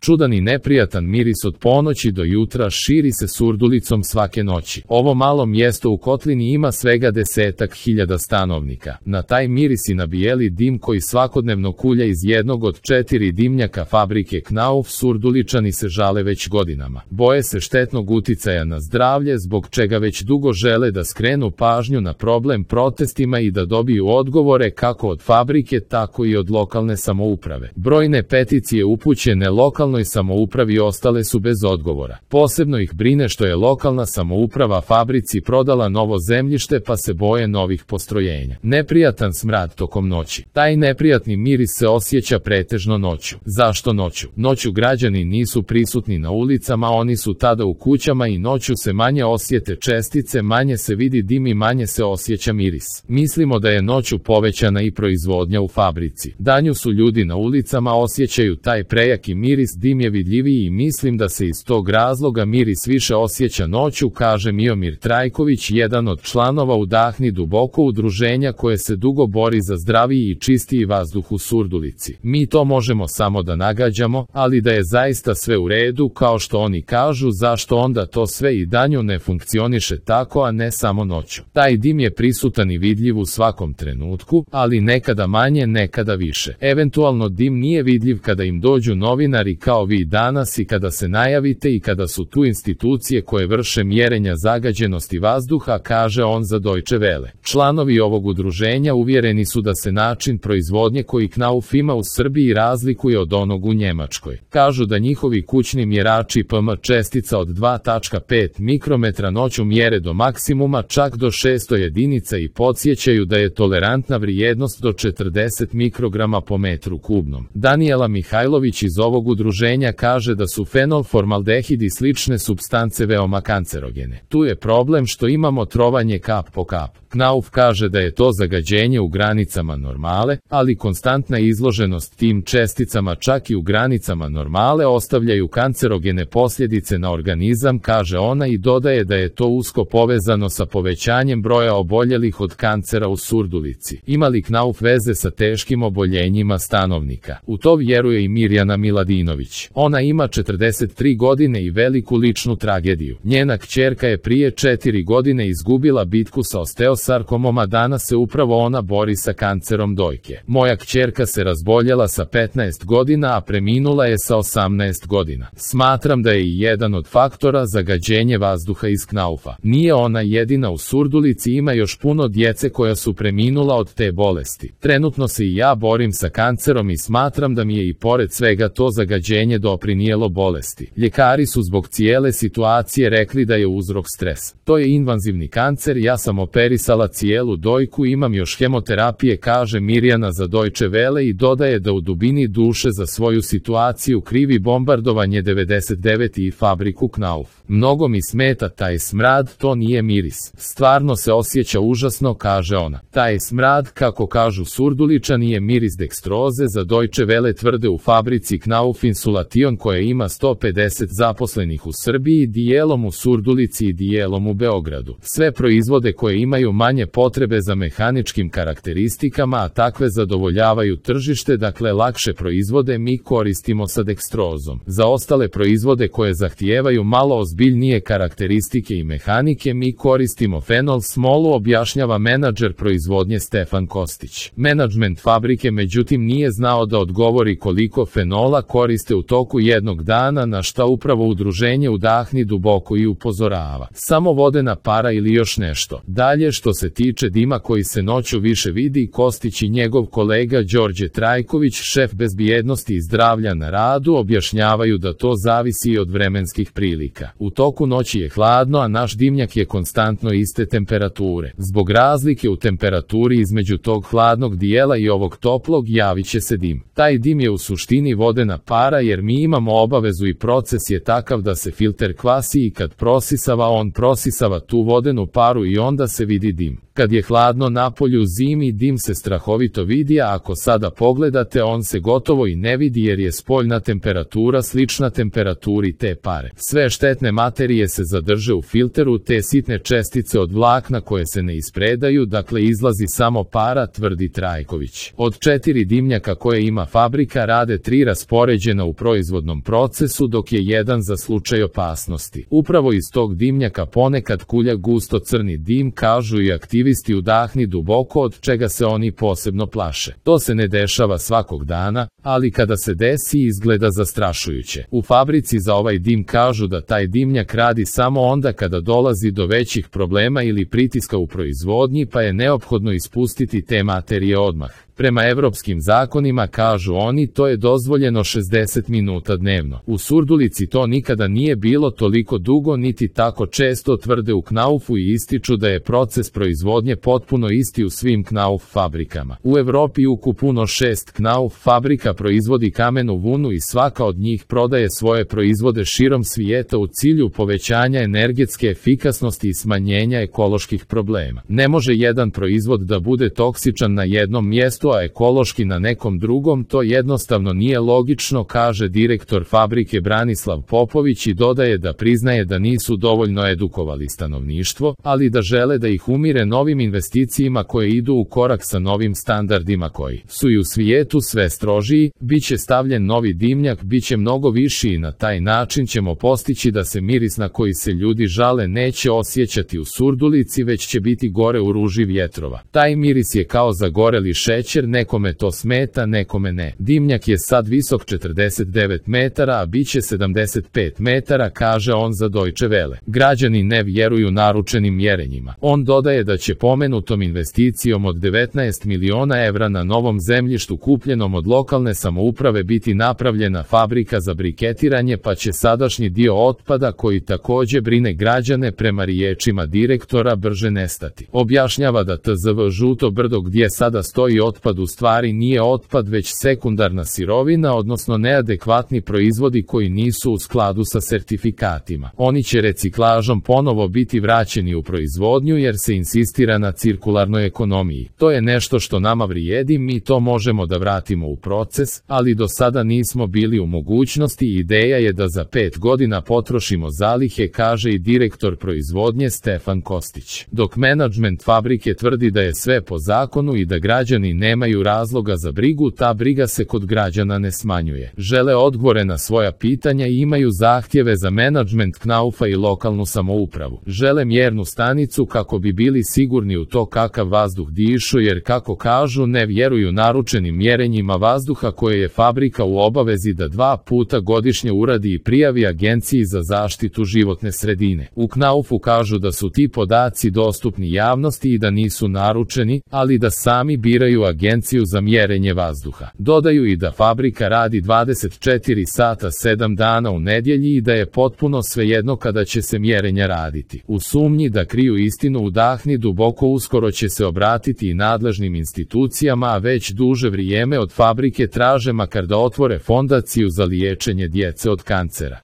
Čudan i neprijatan miris od ponoći do jutra širi se Surdulicom svake noći. Ovo malo mjesto u kotlini ima svega 10.000 stanovnika. Na taj miris i na bijeli dim koji svakodnevno kulja iz jednog od 4 dimnjaka fabrike Knauf Surduličani se žale već godinama. Boje se štetnog uticaja na zdravlje, zbog čega već dugo žele da skrenu pažnju na problem protestima i da dobiju odgovore kako od fabrike tako i od lokalne samouprave. Brojne peticije upućene lokalnoj samoupravi ostale su bez odgovora. Posebno ih brine što je lokalna samouprava fabrici prodala novo zemljište pa se boje novih postrojenja. Neprijatan smrad tokom noći. Taj neprijatni miris se osjeća pretežno noću. Zašto noću? Noću građani nisu prisutni na ulicama, oni su tada u kućama i noću se manje osjete čestice, manje se vidi dim i manje se osjeća miris. Mislimo da je noću povećana i proizvodnja u fabrici. Danju su ljudi na ulicama, osjećaju taj prejaki miris, dim je vidljiviji i mislim da se iz tog razloga miris više osjeća noću, kaže Miomir Trajković, jedan od članova Udahni duboko udruženja koje se dugo bori za zdraviji i čistiji vazduh u Surdulici. Mi to možemo samo da nagađamo, ali da je zaista sve u redu kao što oni kažu, zašto onda to sve i danju ne funkcioniše tako, a ne samo noću. Taj dim je prisutan i vidljiv u svakom trenutku, ali nekada manje, nekada više. Eventualno dim nije vidljiv kada im dođu novinari kao vi danas i kada se najavite i kada su tu institucije koje vrše mjerenja zagađenosti vazduha, kaže on za Deutsche Welle. Članovi ovog udruženja uvjereni su da se način proizvodnje koji Knauf ima u Srbiji razlikuje od onog u Njemačkoj. Kažu da njihovi kućni mjerači PM čestica od 2,5 mikrometra noću mjere do maksimuma, čak do 600 jedinica i podsjećaju da je tolerantna vrijednost do 40 mikrograma po metru kubnom. Danijela Mihajlović iz ovog udruženja kaže da su fenol, formaldehid i slične supstance veoma kancerogene. Tu je problem što imamo trovanje kap po kap. Knauf kaže da je to zagađenje u granicama normale, ali konstantna izloženost tim česticama čak i u granicama normale ostavljaju kancerogene posljedice na organizam, kaže ona i dodaje da je to usko povezano sa povećanjem broja oboljelih od kancera u Surdulici. Ima li Knauf veze sa teškim oboljenjima stanovnika? U to vjeruje i Mirjana Miladinović. Ona ima 43 godine i veliku ličnu tragediju. Njena kćerka je prije 4 godine izgubila bitku sa osteosarkomom, a danas se upravo ona bori sa kancerom dojke. Moja kćerka se razboljela sa 15 godina, a preminula je sa 18 godina. Smatram da je i jedan od faktora zagađenje vazduha iz Knaufa. Nije ona jedina, u Surdulici ima još puno djece koja su preminula od te bolesti. Trenutno se i ja borim sa kancerom i smatram da mi je i pored svega to zagađenje doprinijelo bolesti. Ljekari su zbog cijele situacije rekli da je uzrok stres. To je invazivni kancer, ja sam operisala cijelu dojku, imam još hemoterapije, kaže Mirjana za Deutsche Welle i dodaje da u dubini duše za svoju situaciju krivi bombardovanje 99 i fabriku Knauf. Mnogo mi smeta taj smrad, to nije miris. Stvarno se osjeća užasno, kaže ona. Taj smrad, kako kažu Surduličani, je miris dekstroze, za Deutsche Welle tvrde u fabrici Knauf Insulation koja ima 150 zaposlenih u Srbiji, dijelom u Surdulici i dijelom u Beogradu. Sve proizvode koje imaju manje potrebe za mehaničkim karakteristikama, a takve zadovoljavaju tržište, dakle lakše proizvode mi koristimo sa dekstrozom. Za ostale proizvode koje zahtijevaju malo ozbiljnije karakteristike i mehanike mi koristimo fenol smolu, objašnjava menadžer proizvodnje Stefan Kostić. Menadžment fabrike međutim nije znao da odgovori koliko fenola koriste u toku jednog dana, na šta upravo udruženje Udahni duboko i upozorava. Samo vodena para ili još nešto. Dalje, što se tiče dima koji se noću više vidi, Kostić i njegov kolega Đorđe Trajković, šef bezbjednosti i zdravlja na radu, objašnjavaju da to zavisi od vremenskih prilika. U toku noći je hladno, a naš dimnjak je konstantno iste temperature. Zbog razlike u temperaturi između tog hladnog dijela i ovog toplog javit će se dim. Taj dim je u suštini vodena para, jer mi imamo obavezu i proces je takav da se filter kvasi i kad prosisava, on prosisava tu vodenu paru i onda se vidi dim. Kad je hladno napolju zimi, dim se strahovito vidi, a ako sada pogledate, on se gotovo i ne vidi jer je spoljna temperatura slična temperaturi te pare. Sve štetne materije se zadrže u filteru, te sitne čestice od vlakna koje se ne ispredaju, dakle izlazi samo para, tvrdi Trajković. Od 4 dimnjaka koje ima fabrika rade 3 raspoređena u u proizvodnom procesu, dok je jedan za slučaj opasnosti. Upravo iz tog dimnjaka ponekad kulja gusto crni dim, kažu i aktivisti udahni duboko, od čega se oni posebno plaše. To se ne dešava svakog dana, ali kada se desi izgleda zastrašujuće. U fabrici za ovaj dim kažu da taj dimnjak radi samo onda kada dolazi do većih problema ili pritiska u proizvodnji, pa je neophodno ispustiti te materije odmah. Prema evropskim zakonima, kažu oni, to je dozvoljeno 60 minuta dnevno. U Surdulici to nikada nije bilo toliko dugo niti tako često, tvrde u Knaufu i ističu da je proces proizvodnje potpuno isti u svim Knauf fabrikama. U Evropi ukupno 6 Knauf fabrika proizvodi kamenu vunu i svaka od njih prodaje svoje proizvode širom svijeta u cilju povećanja energetske efikasnosti i smanjenja ekoloških problema. Ne može jedan proizvod da bude toksičan na jednom mjestu, a ekološki na nekom drugom, to jednostavno nije logično, kaže direktor fabrike Branislav Popović i dodaje da priznaje da nisu dovoljno edukovali stanovništvo, ali da žele da ih umire novim investicijama koje idu u korak sa novim standardima koji su i u svijetu sve strožiji. Biće stavljen novi dimnjak, biće mnogo viši i na taj način ćemo postići da se miris na koji se ljudi žale neće osjećati u Surdulici, već će biti gore u ruži vjetrova. Taj miris je kao zagoreli šećer, nekome to smeta, nekome ne. Dimnjak je sad visok 49 metara, a bit će 75 metara, kaže on za Deutsche Welle. Građani ne vjeruju naručenim mjerenjima. On dodaje da će pomenutom investicijom od 19 miliona evra na novom zemljištu kupljenom od lokalne samouprave biti napravljena fabrika za briketiranje, pa će sadašnji dio otpada, koji također brine građane, prema riječima direktora, brže nestati. Objašnjava da TZV Žuto brdo gdje sada stoji otpad u stvari nije otpad već sekundarna sirovina, odnosno neadekvatni proizvodi koji nisu u skladu sa sertifikatima. Oni će reciklažom ponovo biti vraćeni u proizvodnju jer se insistira na cirkularnoj ekonomiji. To je nešto što nama vrijedi, mi to možemo da vratimo u proces, ali do sada nismo bili u mogućnosti. Ideja je da za 5 godina potrošimo zalihe, kaže i direktor proizvodnje Stefan Kostić. Dok menadžment fabrike tvrdi da je sve po zakonu i da građani nemaju razloga za brigu, ta briga se kod građana ne smanjuje. Žele odgovore na svoja pitanja i imaju zahtjeve za menadžment Knaufa i lokalnu samoupravu. Žele mjernu stanicu kako bi bili sigurni u to kakav vazduh dišu, jer kako kažu ne vjeruju naručenim mjerenjima vazduha koje je fabrika u obavezi da 2 puta godišnje uradi i prijavi Agenciji za zaštitu životne sredine. U Knaufu kažu da su ti podaci dostupni javnosti i da nisu naručeni, ali da sami biraju Agenciju za mjerenje vazduha. Dodaju i da fabrika radi 24 sata 7 dana u nedjelji i da je potpuno svejedno kada će se mjerenja raditi. U sumnji da kriju istinu udahni duboko, uskoro će se obratiti i nadležnim institucijama, a već duže vrijeme od fabrike traže makar da otvore fondaciju za liječenje djece od kancera.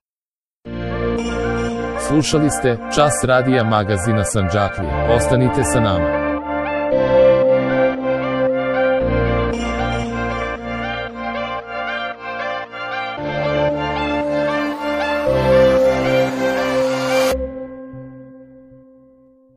Slušali ste Čas radija magazina Sandžaklija. Ostanite sa nama.